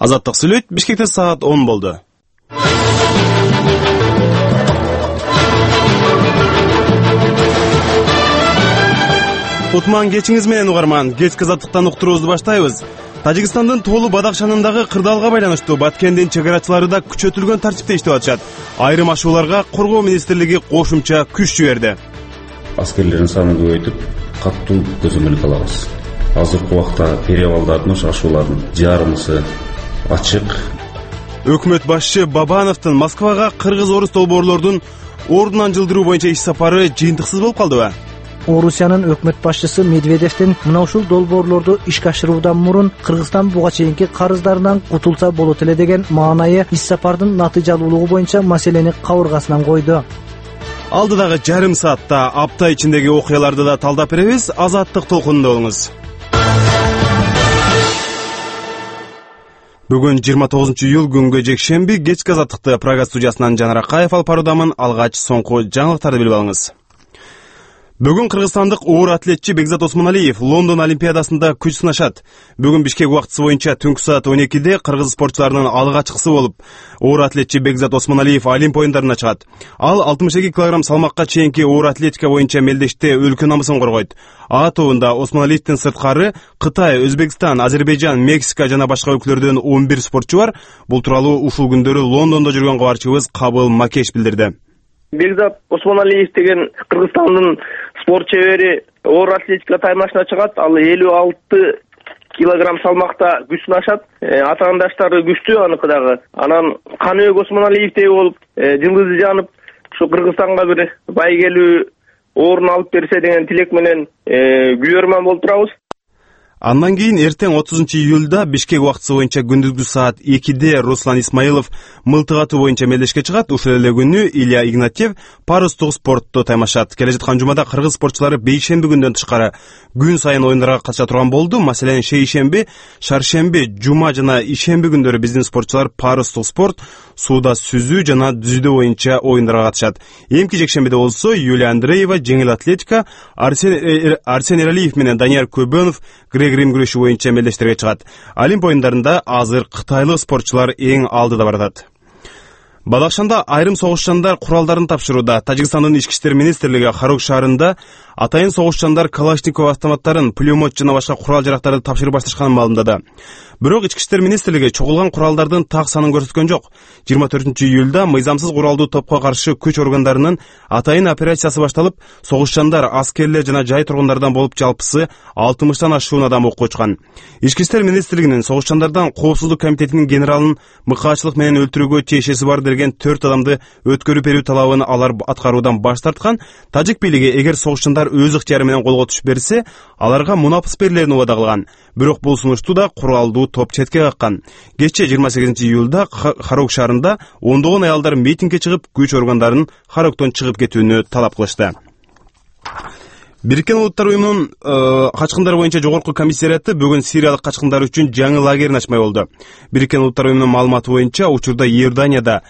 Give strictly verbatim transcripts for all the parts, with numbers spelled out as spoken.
Азаттык сүйлөйт. Бишкекте саат он болду. Утман кечиңиз менен угарман. Кечки азаттыктан уктуруубузду баштайбыз. Тажикстандын Тоолу Бадакшанындагы кырдаалга байланыштуу Баткендин чек арачылары да күчөтүлгөн тартипте иштеп атышат. Айрым ашууларга Коргоо министрлиги кошумча күч жиберди. Аскерлердин санын көбөйтүп, каттуу көзөмөлдүк алабыз. Азыркы убакта перевалдардын ашуулардын жарымысы ачык. Өкмөт башчы Бабановдун Москвага кыргыз-орус долбоорлордун ордунан жылдыруу боюнча иш сапары жыйынтыксыз болуп калдыбы? Орусиянын өкмөт башчысы Медведевдин мына ушул долбоорлорду ишке ашыруудан мурун Кыргызстан буга чейинки карыздарынан кутулса болот эле деген маанайы иш сапардын натыйжалуулугу боюнча маселени кабыргасынан койду. Алдыдагы жарым саатта апта ичиндеги окуяларды да талдап беребиз. Азаттык толкунунда болуңуз. Бүгүн жыйырма тогузунчу июль күнгө жекшемби. Кечки азаттыкты Прага студиясынан Жанар Акаев алып баруудамын. Алгач соңку жаңылыктарды билип алыңыз. Бүгүн кыргызстандык оор атлетчи Бекзат Осмоналиев Лондон Олимпиадасында күч сынашат. Бүгүн Бишкек убактысы боюнча түнкү саат он экиде кыргыз спортчуларынын алгачкысы болуп, оор атлетчи Бекзат Осмоналиев Олимп оюндарына чыгат. Ал алтымыш эки килограмм салмакка чейинки оор атлетика боюнча мелдеште өлкө намысын коргойт. А тобунда Осмоналиевдин сырткары Кытай, Өзбекстан, Азербайжан, Мексика жана башка өлкөлөрдөн он бир спортчу бар. Бул тууралуу ушул күндөрү Лондондо жүргөн кабарчыбыз Кабыл Макеш билдирди. Бекзат Осмоналиев деген Кыргызстандын спорт чебери оор атлетика таймашына чыгат. Ал элүү алты килограмм салмакта күч сынашат. Атаандаштары күчтүү аныкы дагы. Анан Каныбек Осмоналиевдей болуп, жылдызы жанып, ушу Кыргызстанга бир байгелүү орун алып берсе деген тилек менен күбөрман болуп турабыз. Андан кийин эртең отузунчу июлда Бишкек убактысы боюнча күндүзгү саат экиде Руслан Исмаилов мылтык атуу боюнча мелдешке чыгат. Ушул эле күнү Илья Игнатьев парустук спортто таймашат. Келе жаткан жумада кыргыз спортчулары бейшемби күндөн тышкары күн сайын оюндарга катыша турган болду. Маселен, шейшемби, шаршемби, жума жана ишемби күндөрү биздин спортчулар парустук спорт, сууда сүзүү жана дүзүүдө боюнча оюндарга катышат. Эмки жекшембиде болсо Юлия Андреева жеңил атлетика, Арсен Арсен Эралиев менен Данияр Көбөнов грек-рим күрөшү боюнча мелдештерге чыгат. Олимп оюндарында азыр кытайлык спортчулар эң алдыда баратат. Бадакшанда айрым согушчандар куралдарын тапшырууда. Тажикстандын ички иштер министрлиги Харук шаарында атайын согушчандар Калашников автоматтарын, пулемет жана башка курал-жарактарды тапшырып башташканын маалымдады. Бирок ички иштер министрлиги чогулган куралдардын так санын көрсөткөн жок. жыйырма төртүнчү июлда мыйзамсыз куралдуу топко каршы күч органдарынын атайын операциясы башталып, согушчандар, аскерлер жана жай тургундардан болуп жалпысы алтымыштан ашуун адам окко учкан. Ички иштер министрлигинин согушчандардан коопсуздук комитетинин генералын мыкаачылык менен өлтүрүүгө тиешеси бар деген төрт адамды өткөрүп берүү талабын алар аткаруудан баш тарткан. Тажик бийлиги эгер согушчандар өз ыктыяры менен колго түшүп берсе, аларга мунапыс берилерин убада кылган. Бирок бул сунушту да куралдуу топ четке каккан. Кечээ жыйырма сегизинчи июлда Харук шаарында ондогон аялдар митингге чыгып, күч органдарын Харуктан чыгып кетүүнү талап кылышты. Бириккен Улуттар уюмунун качкындар боюнча жогорку комиссариаты бүгүн сириялык качкындар үчүн жаңы лагерин ачмай болду. Бириккен Улуттар уюмунун маалыматы боюнча учурда Иорданияда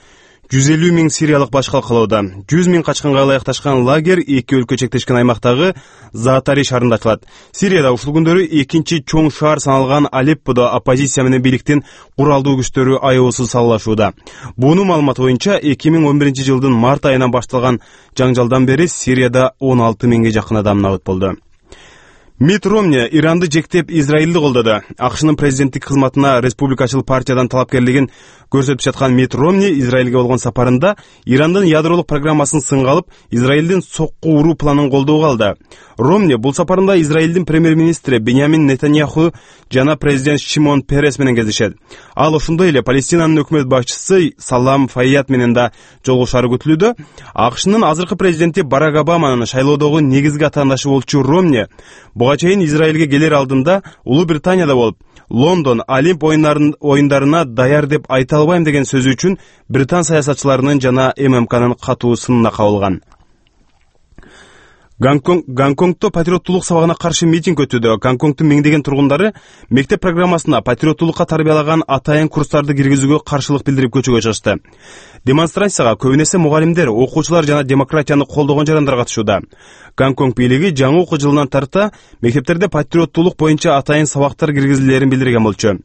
жүз элүү миң сириялык баш калкалоодо. жүз миң качкынга ылайыкташкан лагерь эки өлкө чектешкен аймактагы Заатари шаарында ачылат. Сирияда ушул күндөрү экинчи чоң шаар саналган Алепподо оппозиция менен бийликтин куралдуу күчтөрү аябысыз саллашууда. Бунун маалыматы боюнча эки миң он биринчи жылдын март айынан башталган жаңжалдан бери Сирияда он алты миңге жакын адам набыт болду. Мит Ромни Иранды жектеп Израилди колдоду. АКШнын президенттик кызматына республикачыл партиядан талапкерлигин көрсөтүп жаткан Мит Ромни Израилге болгон сапарында Ирандын ядролук программасын сынга алып, Израилдин сокку уруу планын колдоого алды. Ромни бул сапарында Израилдин премьер-министри Беньямин Нетаньяху жана президент Шимон Перес менен кездешет. Ал ошондой эле Палестинанын өкмөт башчысы Салам Файят менен да жолугушаары күтүлүүдө. АКШнын азыркы президенти Барак Обаманын шайлоодогу негизги атаандашы болчу Ромни буга чейин Израилге келер алдында Улуу Британияда болуп, Лондон Олимп оюндарына даяр деп айта албайм деген сөзү үчүн британ саясатчыларынын жана ММКнын катуу сынына кабылган. Гонконгдо патриоттулук сабагына каршы митинг өтүүдө. Гонконгдун миңдеген тургундары мектеп программасына патриоттулукка тарбиялаган атайын курстарды киргизүүгө каршылык билдирип көчөгө чыгышты. Демонстрацияга көбүнесе мугалимдер, окуучулар жана демократияны колдогон жарандар катышууда. Гонконг бийлиги жаңы окуу жылынан тарта мектептерде патриоттулук боюнча атайын сабактар киргизилерин билдирген болчу.